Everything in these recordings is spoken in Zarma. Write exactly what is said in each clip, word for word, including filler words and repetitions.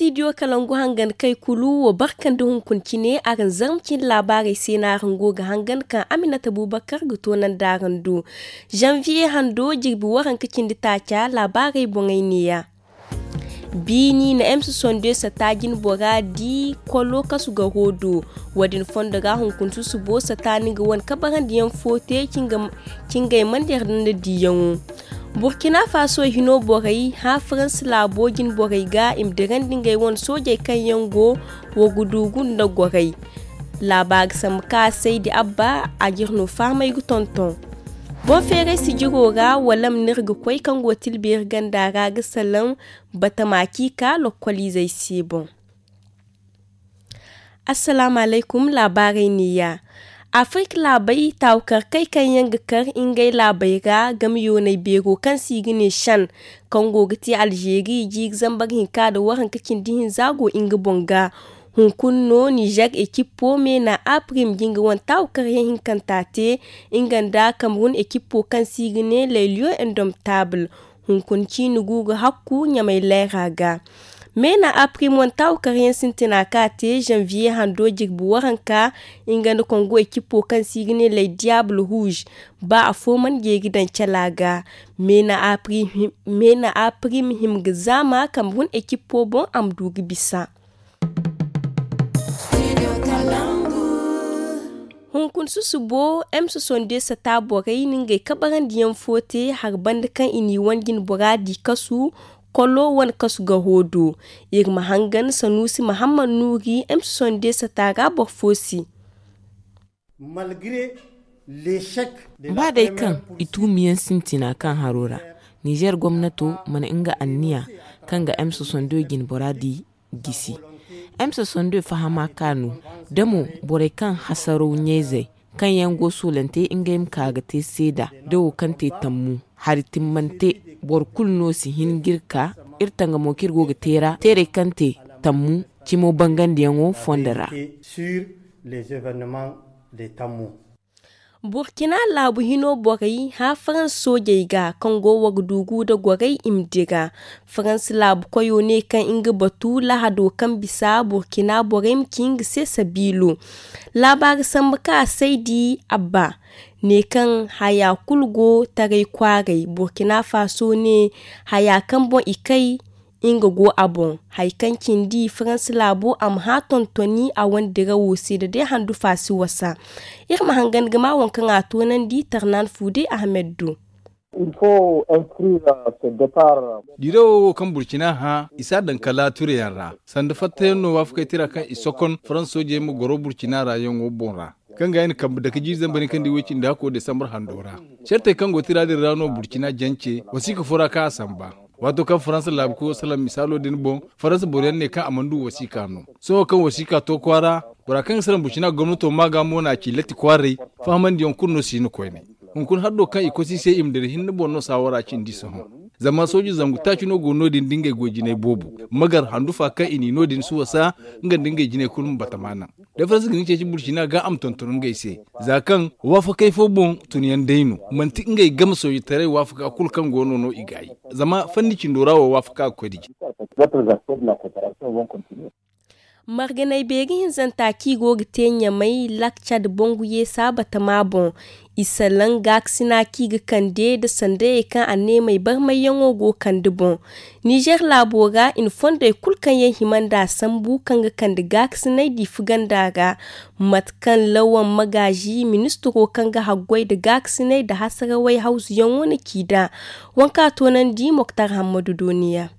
Stidiyo kalangu hangan kay kulu wo barkandi hunkuna cine araŋ zarma cine laabaarey se no araŋ go ga hangan kaŋ aminata bubakar ga toonandi araŋ do. Zanviye hando jirbi waranka cindi taaca laabaarey boŋey neeya. Biini na emsa sonde sata jine bora di kolo kasu garo do. Wo- din fondo ra hunkuna susubo sata ni ga wane kabarandiyaŋ fo te cingay mana yardanda diyaŋo. Burkina faso hino borey hã faransa laabo jine borey ga i ma dirandi ngey wane soojey kaŋ yaŋ go wo ga duugu nda gorey. Laabaari sambu kaŋ a saydi abba a jire no fahamay ga tonton. Boŋ feeray sijiro ra wala ma no iri ga koy kaŋ go tilbeeri ganda ra ga salaŋ batama kaŋ i ka lokkoliizey se boŋ. Assalaamu alaykum. Laabaarey neeya. Afirik laabey taawukarkey kaŋ yaŋ ga kar ngey laabey ra game yoonay beero kaŋ se i ga ne shan kaŋ go ga te alzeeri jiiri zambar hinka nda waranka cindi hinza go nga boŋ ga. Hunkuna no nizer ekipo meena aprim ga nga wane taawukaryaŋ hinkanta te nga nda kamerun ekipo kaŋ se i ga ne leliyo indomtaabul. Hunkuna ciini gu ga hakku ɲamay layra ga. Meena aprim wane taawukaryaŋ sintina kaŋ a te zanviye hando jirbi waranka nga nda kongo ekipo kaŋ se i ga ne lay diyaabul ruuz. Ba afo mana jeeri daŋ cala ga. Meena aprim him ga zaama kamerun ekipo boŋ a ma du ga bisa. Hunkuna susubo emsa sonde sata borey na ngey kabarandiyaŋ fo te hari banda kaŋ i n'i wane jine bora di kasu kolo wane kasu garo do. Iri ma hangan sanuusi mahammad nuuri emsa sonde sata ra boro fo se. Ba day kaŋ i tuumiyaŋ sintina kaŋ haro ra, nizer gomnato mana nga anniya kaŋ ga emsa sondo jine bora di gisi. Emsa sondo fahama ka no da mo borey kaŋ hasaraw ɲayzey kaŋ yaŋ go soolante ngey ma ka ga te seeda da wo kaŋ te tammu hari timmante. Boro kulu no si hin ga iri ka iri tanga mo kaŋ iri go ga te ra teerey kaŋ te tammu cimo bangandiyaŋo fondo ra. Burkina laabu hino borey hã faransa soojey ga kaŋ go wagdugu nda gorey i ma dira. Faransa laabu koyo ne kaŋ nga batu lahado kaŋ bisa burkina borey ma ci nga se sabiilo. Laabaari sambu kaŋ a saydi abba ne kaŋ haya kulu go taray kwaaray burkina faso ne haya kaŋ boŋ i kay nga go a boŋ. Hari kaŋ cindi faransa laabo a ma hã tontoni a wane dirawo se da day handufa si wasa. Iri ma hangan ga ma waŋ kaŋ a toonandi tarnan fuude ahmed do. Dirawo wo kaŋ burkina hã i si a daŋ kala tureyaŋ ra sanda fattayaŋ no waafakey tira kaŋ i sokon faransa soojey ma goro burkina ra yaŋo boŋ ra. Kaŋ ga i na kambe dake jiiri zambar hinka nda i way cindi hakko desambar hando ra. Cartey kaŋ go tira din ra no burkina jance wasiika fo ra kaŋ a samba. Waato kaŋ faransa laabu koyo salaŋ misaalo din boŋ, faransa boroyaŋ ne kaŋ a mana du wasiika no. Sohõ kaŋ wasiika to kwaara, bora kaŋ ga salaŋ burkina gomnato ma ga mo na ci latti kwaaray. Fahamandiyaŋ kulu no si hin koyne. Hunkuna haddo kaŋ i kosi i se i ma dira hinne boŋ no saawara cindi sohõ. Zama sooji zangu taaci no go no- din da ngey goy jinay boobo, magar handufa kaŋ i n'i no- din si wasa. Nga nda ngey jinay kulu ma batama naŋ. Da faransa ga ni ceeci burkina ga a ma tonton ngey se. Za kaŋ waafakey fo boŋ tunyaŋ day no, manti ngey game soojitaray waafaka kulu kaŋ go no no i gaayi. Zama fanni cindo ra wo waafaka ga koy da jine. Marganay beeri hinzanta kaŋ i go ga te ɲamay lak cad bangu yeesa batama boŋ. I salaŋ gaakasina kaŋ i ga kande nda sandayey kaŋ anneemey barmayyaŋo go kande boŋ. Nizer laabo ra i na fondey kulu kaŋ yaŋ hima nd'a sambu kaŋ ga kande gaakasinay diifa ganda ra. Mate kaŋ lawan magaazi ministiro kaŋ ga haggoy nda gaakasinay nda hasarawey hawzuyaŋo na ci nd'a. Waŋ kaŋ a toonandi moktar hammadu dooniya.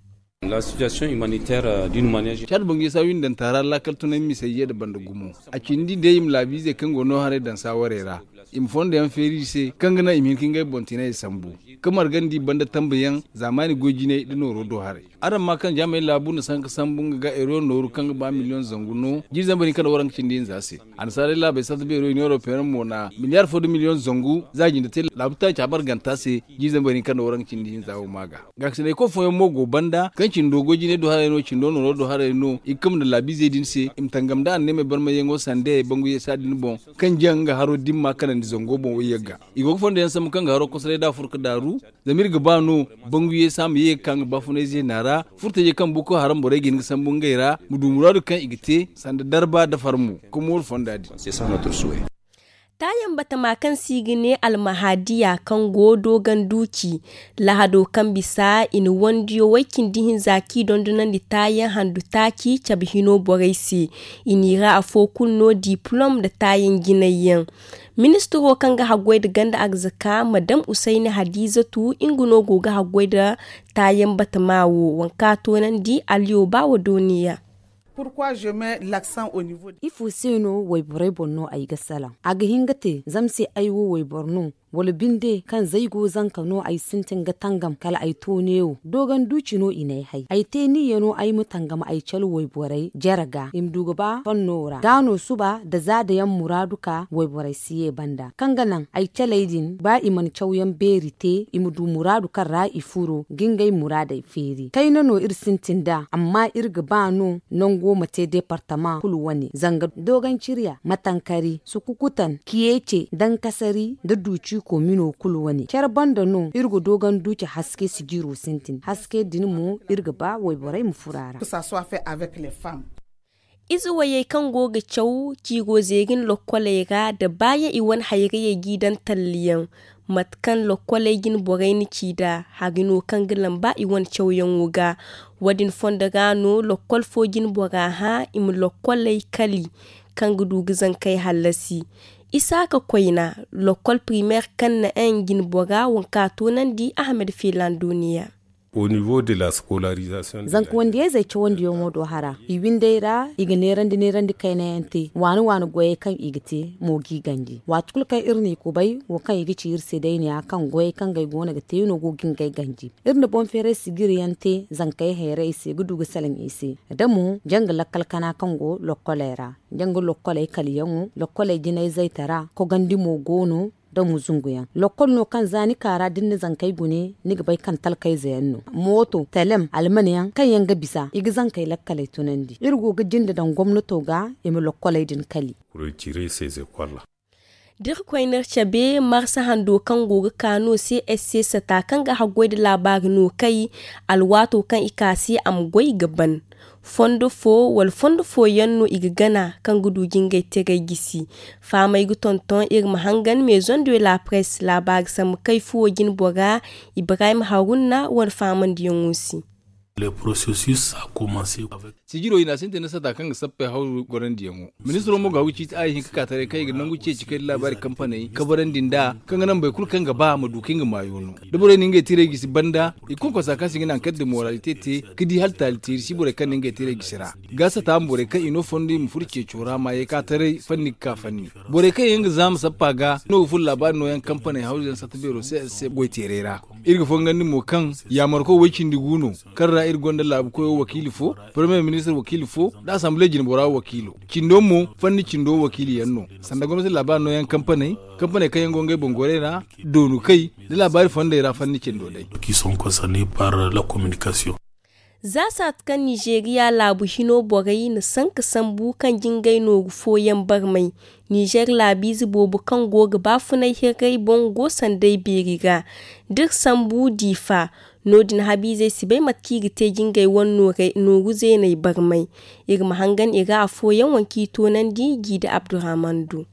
Caadi bangu yeesa windanta ra laakal tunay misey ye nda banda gumo. A cindi day i ma laabiizey kaŋ go no haray daŋ saawarey ra, i ma fondo yaŋ feeri i se kaŋ ga naŋ i ma hin ka ngey boŋ tinay sambu, ka margandi banda tambayaŋ zaamaani goy jinay nda nooro do haray. Araŋ ma kaŋ jaamay laabu nda sanka sambu nga ga euro nooru kaŋ ga ba miliyoŋ zangu no jiiri zambar hinka nda waranka cindi hinza se. Annasaarey laabey sarta beero i neero peeran mo na miliyaar fo nda miliyoŋ zangu za jinde te laabu taaca marganta se. Jiiri zambar hinka nda waranka cindi hinza wo ma ga. Gaakasinay koy fooyaŋ mo go banda kaŋ cindo goy jinay do haray no cindo nooro do haray no i ga kambe nda laabiizey din se i ma tangam nda anneemey barmayyaŋo sandayey bangu yeesa din boŋ. Kaŋ jaŋ nga haro dimma kanandi. Zango boŋ wo yagga i go ga fondo yaŋ sambu kaŋ ga haro kosoray da a furo ga daaru. Zama iri ga ba no bangu ye se a ma ye ga ka nga baafunay zeena ra. Furtajey kaŋ boko haram borey ga hin ga sambu ngey ra ma du muraadu kaŋ i ga te sanda darba da farmo. Ka mooru fonda din. Taayaŋ batama kaŋ se i ga ne almahadiya kaŋ go doogan duuci lahado kaŋ bisa i na wandiyo way cindi hinza kaŋ i dondonandi taayaŋ handu taaci cabe hino borey se. I n'i ra afo kulu no diplom nda taayaŋ jinay yaŋ. Ministiro kaŋ ga haggoy nda ganda arzaka madam usayni hadizatu nga no go ga haggoy nda taayaŋ batama wo waŋ kaŋ a toonandi aliyo ba wa dooniya. Ifo se no wayborey boŋ no ay ga salaŋ? A ga hin ga te zama se ay wo wayboro no, wala binde kaŋ zaygo zanka no ay sintin ga tangam kala ay to neewo doogan duuci no i n'ay hay ay te niyya no ay ma tangam ay calo wayborey jare ga i ma du ga ba fanno ra ga no suba nda za dayaŋ muraadu ka wayborey si ye banda kaŋ ga naŋ ay caley din ba i mana cawyaŋ beeri te i ma du muraadu kaŋ ra i furo ga ngey muraadey feeri kayna no iri sintin nd'a amma iri ga ba no nango ma te deepartama kulu wane zanga dooganciriya matankari sukukutan kiyeece dankasari nda duuci komino kulu wane care banda no iri ga doogan duuci haske sijiro sintin haske din mo iri ga ba wayborey ma furo a ra. Ize wayey kaŋ go ga caw ciiro zeeri nda lokkoley ra nda baayaŋ i wane hayrayey g'i daŋ talliyaŋ. Mate kaŋ lokkoley jine borey na ci nd'a hari no kaŋ ga lamba i wane cawyaŋo ga. Wo- din fondo ra no lokkol fo jine bora hã i ma lokkoley kali kaŋ ga du ga zankey hallasi. Isaaka koyna lokkol primeer kaŋ na en jine bora waŋ kaŋ a toonandi ahamed fiilaŋ duuniya. Zanka wandiyayzey cawandiyaŋo do hara i windey ra i ga neerandi neerandi kaynayaŋ te waani waani goyey kaŋ i ga te mo g'i ganji waati kulu kaŋ iri n'i kubay wo kaŋ i ga ci iri se day ne ya kaŋ goyey kaŋ gay go no ga te no go ga ngey ganji. Iri na boŋ feeray sijiri yaŋ te zankey hayray se ga du ga salaŋ i se da mo janga lakkal kana kaŋ go lokkoley ra janga lokkoley kaliyaŋo lokkoley jinayzey tara kogandi mo go no. Da mo zungu yaŋ lokkol no kaŋ za ni ka ra da ni na zankey gune ni ga bay kaŋ talkayze yaŋ no mooto telem alman yaŋ kaŋ yaŋ ga bisa i ga zankey lakkaley tunandi iri go ga jinde daŋ gomnato ga i ma lokkoley din kali. Da iri koy no iri cabe marsa hando kaŋ go ga ka no se s c sata kaŋ ga haggoy nda laabaari no kay alwaato kaŋ i ka se a ma goy ga ban. Fondo fo wala fondo fooyaŋ no i ga gana kaŋ ga du ga ngey teray gisi. Fahamey ga tonton iri ma hangan maison de la presse laabaari sambu kay fuwo jine bora ibrahim haruna wane fahamandiyaŋo se. Sijiro i na a sintin da sata kaŋ ga sappey hawru gorandiyaŋo ministiro mo ga hagu ciiti a ye hin ka ka taray kaŋ i ga nangu ceeci kay da laabaari kampaney kabarandi nd'a kaŋ ga naŋ boro kulu kaŋ ga ba ma du kaŋ nga maayo no. Da borey na ngey tiray gisi banda i konkonsa kaŋ se i ga naŋ kala da moralite te ka di hala taali teeri si borey kaŋ na ngey tiray gisi ra. Ga sata ma borey kaŋ i no fondo i ma furo ceeco ra ma ye ka taray fanni ga ka fanni. Borey kaŋ yaŋ ga zaama sappa ga no ga furo laabaari nooyaŋ kampaney hawru yaŋ satta beero se se goy teeray ra. Iri ga fongandi mo kaŋ yaamarko way cindi gu no kaŋ ra iri gonda laabu koyo wakiili fo, paramiyer ministir wakiili fo, nda asamble jinbora wakiilo. Cindo mo fanni cindo wakiili yaŋ no. Sanda gomnati laabaari nooyaŋ kampaney kampaney kaŋ yaŋ go ngey boŋ goray ra, doonu kay nda laabaari fondey ra fanni cindo day. Za saatu kaŋ nizeeriya laabu hino borey na sanka sambu kaŋ jingay nooru fooyaŋ barmay. Nizer laabiize boobo kaŋ go ga baafunay hirray boŋ go sanday beeri ra. D'iri sambu diifa no- din habiizey si bay mate kaŋ i ga te jingay wane nooru zeeney barmay. Iri ma hangan i ra afooyaŋ waŋ kaŋ i toonandi jiida abdurahman du.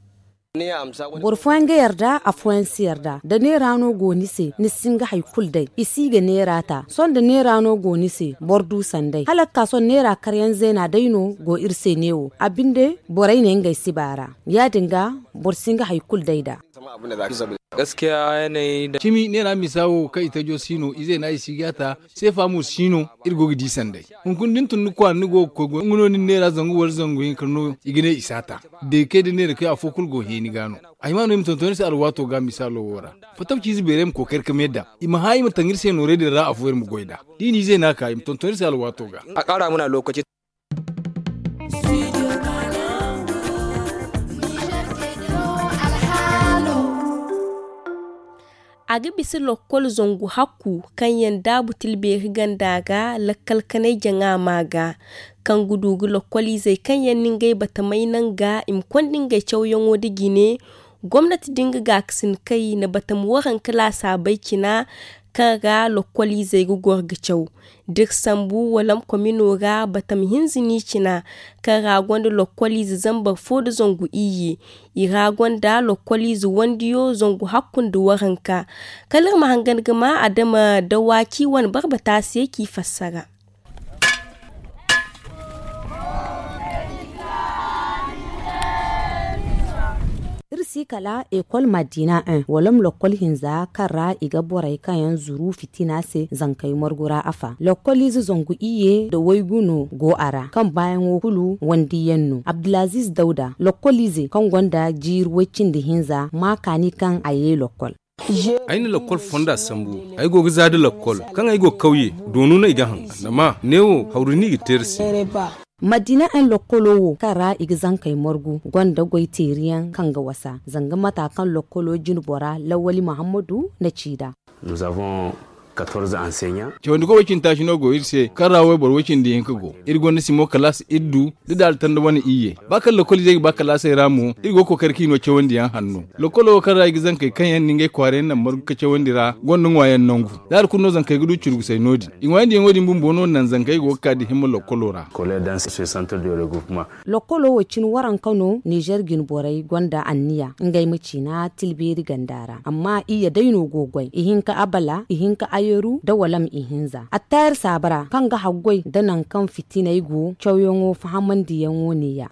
Boro fooyaŋ ga yarda afooyaŋ si yarda da neera no go ni se ni si hin ga hari kulu day i si ga neera ta sohõ da neera no go ni se boro du sanday hala ga ka sohõ neera karyaŋ zeena day no go iri se neewo a binde borey ne ngey si baara. Ya- din ga boro si hin ga hari kulu day nd'a. Cimi neera misa wo kaŋ i tajo si no ize no ay si ga ta. Seefa mo si no. Iri go ga di sanday hunkuna da ni tun ni kwaara ni go ga koy goy nga no ni na neera zangu wala zangu hinka no i ga ne i si a ta. Deekey da neera kay afo kulu go heeni ga no. Ay ma no i ma tonton iri se alwaato ga misaalo wo ra. Fattaw ciize beeray ma kookari ka me daŋ i ma hã i ma taŋ iri se nooray din ra afo iri ma goy nd'a. Da i n'i zeena ka i ma tonton iri se alwaato ga. A ga bisa lokkol zangu hakku kaŋ yaŋ daabu tilbeeri ganda ga lakkal kanay jaŋa ma ga kaŋ ga du ga lokkoliizey kaŋ yaŋ na ngey batamay naŋ ga i ma konda ngey cawyaŋo nda jine. Gomnati din ga gaakasin kay na batam waranka laasaabey cina kaŋ ra lokkoliizey ga goro ga caw. Da iri sambu walam komino ra batam hinza no i cina, kaŋ ra gonda lokkoliize zambar fo nda zangu iyye. I ra gonda lokkoliize wandiyo zangu hakku nda waranka. Kala iri ma hangan ga ma adama dawaaci wane barbata se k'i fassara. Iri si kala ekol madina en walam lokkol hinza kaŋ ra i ga borey kaŋ yaŋ zuru fitina se zankey margu ra afa lokkol ize zangu iyye nda waygu no go a ra kaŋ baayaŋo kulu wandiyaŋ no abdulaziz dawda lokkol ize kaŋ gonda jiiri way-cindi hinza ma kaani kaŋ a ye lokkol. Ay na lakkol fonda sambu. Ay go ga za da lakkol kaŋ ay go kawye doonu no ay ga haŋ. Zama neewo hawru no i ga teeri se. Madina en lakkolo wo kaŋ ra i ga zankey margu gonda goy teeriyaŋ kaŋ ga wasa zanga mata kaŋ lakkolo jine bora lawali muhammadu na ci nd'a. Cawandi koy way-cindi taaci no go iri se kaŋ ra wayboro way-cindi hinka go. Iri gonda simo kalaas iri du da daali tanda wane iyye. Ba kaŋ lakkol izey ga ba kalaasey ra mo iri go ga kookari kaŋ i no cawandi yaŋ hanno. Lakkolo wo kaŋ ra i ga zankey kaŋ yaŋ na ngey kwaaray naŋ margu ka cawandi ra gonda ŋwaayaŋ nangu. Daali kulu no zankey ga du curgusey no- din i ŋwaayandi yaŋo din bumbo no naŋ zankey go ga ka da himma lakkolo ra. Lakkolo wo cine waranka no nizer jine borey gonda anniya ngey ma ciina tilbeeri ganda ra amma iyye day no go ga goy ihinka abala ihinka ayeru nda walam ihinza attayar saaba ra kaŋ ga haggoy nda nangu kaŋ fitiney go cawyaŋo fahamandiyaŋo ne ya.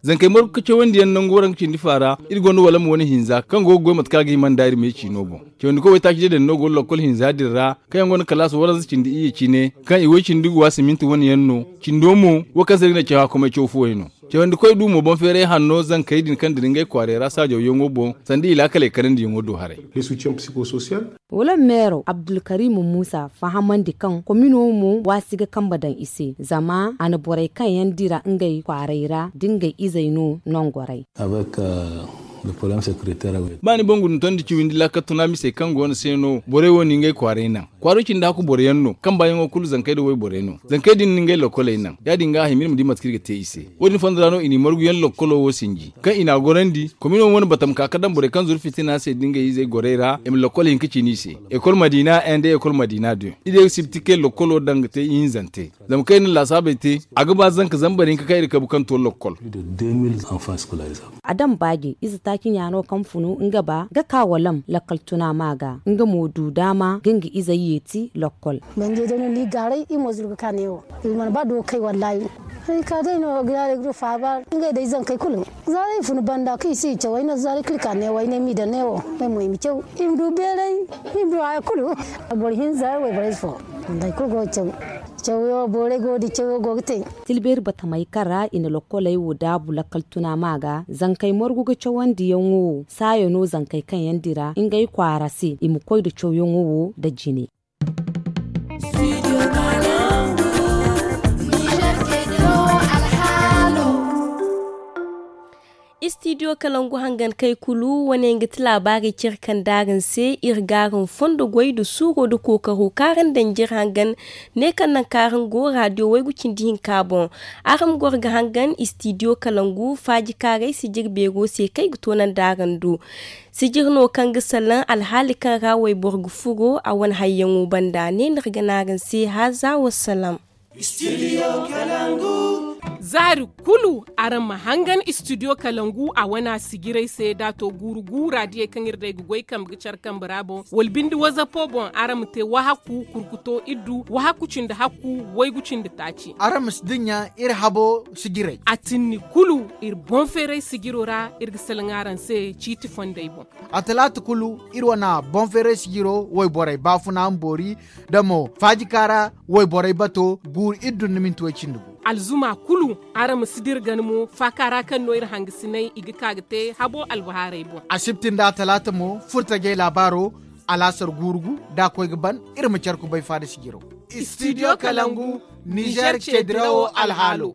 Zankey margu ka cawandi yaŋ nangu waranka cindi faara iri gonda walam wane hinza kaŋ go ga goy mate kaŋ a ga hima nda iri me ciino boŋ. Cawandi koy waytaaci day daŋ no go lakkol hinza din ra kaŋ yaŋ gonda kalaas waranza cindi iyye cine kaŋ i way cindi ga wa siminti wane yaŋ no. Cindo mo wo kaŋ se iri ga ne caw haakumay caw fuwey no. Cawandi koy du mo boŋ feeray hanno zankey din kaŋ dira ngey kwaaray ra saajaw yaŋo boŋ sanda i laakaley kanandi yaŋo do haray. Wala meero abdulkarim muusa fahamandi kaŋ komino mo waasi ga kambe daŋ i se zama a na borey kaŋ yaŋ dira ngey kwaaray ra da ngey izey no nongoray. Ba ni boŋ guna tondi ciwindi laakal tuna misey kaŋ go no se no borey wo ni ngey kwaaray naŋ. Kwaaro cindi hakku boro yaŋ no kaŋ baayaŋo kulu zankey nda wayborey no. Zankey din ni ngey lokkoley naŋ ya- din ga a hima iri ma di mate kaŋ iri ga te i se. Wo- din fondo ra no i n'i margu yaŋ lokkolo wo sinji kaŋ i n'a gorandi komino wane batam ka ga daŋ borey kaŋ zuru fitina se nda ngey izey gorey ra i ma lokkol hinka ciini i se. Ekol madina en nda ekol madina de. Iri ye ga sibti kay lokkolo daŋ ga te ihinzante. Zama kaŋ iri na laasaabey te a ga ba zanka zambar hinka kaŋ iri kabu kaŋ to lokkol. A daŋ baaji ize taaci ɲa no kaŋ funu nga ba ga ka walam lakkal tuna ma ga nga mo du daama ga nga izey yeeti lokkol. Banjey day no ni gaaray iri mo zuru ga ka neewo. Iri mana ba do ga kay wallaahi. Ay ka day no ga yaaray ga du faaba ngey day zankey kulu. Za day funu banda kaŋ i si i caw ay no za day kaŋ iri ka neewo ay ne m'i daŋ neewo. Ay mo i ma caw i ma du beeray i ma du haya kulu. Boro hinza wayborey fo. Wallaahi kulu go ga caw. Cawyo borey go ga di cawyo go ga te. Tilbeeri batamey kaŋ ra i na lokkoley wo daabu lakkal tuna ma ga zankey margu ga cawandiyaŋo wo saayo no zankey kaŋ yaŋ dira ngey kwaara se i ma koy da cawyaŋo wo nda jine. Istidiyo kalangu hangan kay kulu wane nga ti laabaarey cire kaŋ daaraŋ se iri ga araŋ fondo goy nda suuro nda kookaro kaŋ araŋ daŋ jire hangan. Ne kaŋ naŋ kaŋ araŋ go raadiyo waygu cindi hinka boŋ. Araŋ ma goro ga hangan istidiyo kalangu faaji kaaray sijir beero se kaŋ ay ga toonandi araŋ do. Sijir no kaŋ ga salaŋ alhaali kaŋ ra wayboro ga furo a wane hayyaŋo banda ne no iri ga ne araŋ se haaza wasalaam. Zaari kulu araŋ ma hangan istidiyo kalangu a wana sijiray se da to guuru guura diyey kaŋ iri day ga goy kambe ga care kambe ra boŋ wala bindi wazapo boŋ araŋ ma te wahakku kurkuto iddu wahakku cindi hakku waygu cindi taaci. Araŋ ma si dinya iri habo sijiray. A tinni kulu iri boŋ feeray sijiro ra iri ga salaŋ araŋ se ciiti fondey boŋ. A talaata kulu iri wana boŋ feeray sijiro wayborey baafuna ma boori da mo faaji kaara wayborey bato guuru iri dun ni minti way cindi gu. Alzuma kulu araŋ ma si dira gana mo faaka ra kaŋ no iri hangasinay i ga ka ga te habo albahaarey boŋ. Asibti nda talaata mo furtajey laabaaro alaasar guuru gu da a koy ga ban iri ma care kubay faada sijiro. Istidiyo kalangu nizer ceedirawo alhaalo.